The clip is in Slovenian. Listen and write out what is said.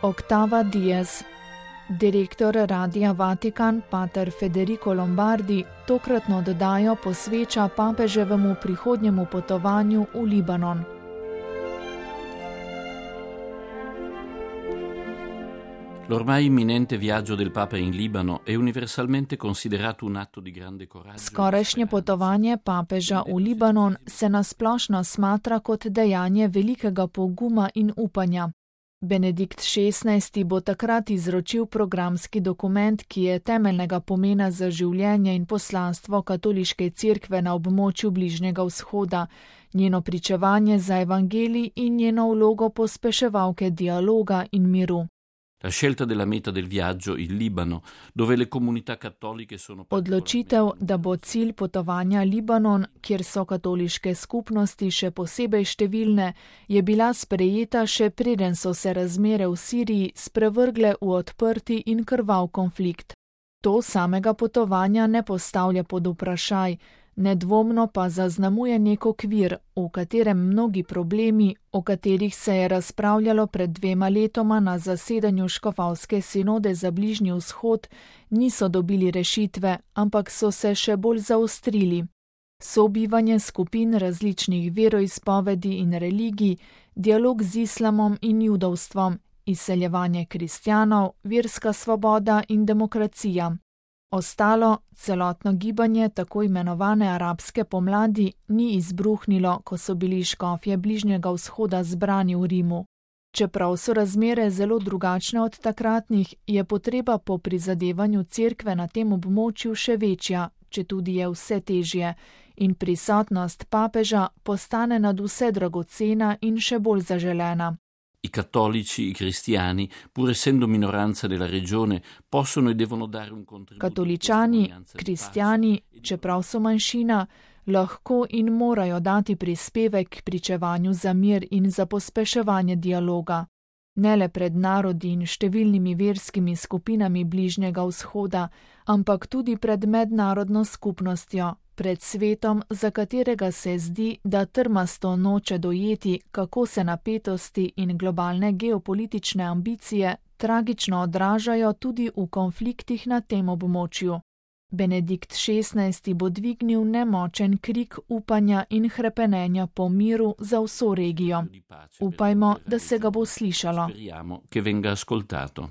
Octava Diez. Direktor Radia Vatikan, pater Federico Lombardi, tokratno oddajo posveča papeževemu prihodnjemu potovanju v Libanon. L'ormai imminente viaggio del Papa in Libano è universalmente considerato un atto di grande coraggio. Skorajšnje potovanje papeža v Libanon se nasplošno smatra kot dejanje velikega poguma in upanja. Benedikt XVI. Bo takrat izročil programski dokument, ki je temeljnega pomena za življenje in poslanstvo katoliške cerkve na območju Bližnjega vzhoda, njeno pričevanje za evangelij in njeno vlogo pospeševalke dialoga in miru. La scelta della meta del viaggio, il Libano, dove le comunità cattoliche sono Odločitev, da bo cilj potovanja Libanon, kjer so katoliške skupnosti še posebej številne, je bila sprejeta še preden so se razmere v Siriji sprevrgle v odprti in krvav konflikt. To samega potovanja ne postavlja pod vprašaj, nedvomno pa zaznamuje nek okvir, v katerem mnogi problemi, o katerih se je razpravljalo pred 2 letoma na zasedanju škofovske sinode za Bližnji vzhod, niso dobili rešitve, ampak so se še bolj zaostrili. Sobivanje skupin različnih veroizpovedi in religij, dialog z islamom in judovstvom, izseljevanje kristjanov, verska svoboda in demokracija. Ostalo, celotno gibanje tako imenovane arabske pomladi, ni izbruhnilo, ko so bili škofje Bližnjega vzhoda zbrani v Rimu. Čeprav so razmere zelo drugačne od takratnih, je potreba po prizadevanju cerkve na tem območju še večja, četudi je vse težje, in prisotnost papeža postane nadvse dragocena in še bolj zaželena. I cattolici, i cristiani, pur essendo minoranza della regione, possono e devono dare un contributo. Katoličani, kristjani, čeprav so manjšina, lahko in morajo dati prispevek k pričevanju za mir in za pospeševanje dialoga. Ne le pred narodi in številnimi verskimi skupinami Bližnjega vzhoda, ampak tudi pred mednarodno skupnostjo, pred svetom, za katerega se zdi, da trmasto noče dojeti, kako se napetosti in globalne geopolitične ambicije tragično odražajo tudi v konfliktih na tem območju. Benedikt XVI. Bo dvignil nemočen krik upanja in hrepenenja po miru za vso regijo. Upajmo, da se ga bo slišalo. Speriamo che venga ascoltato.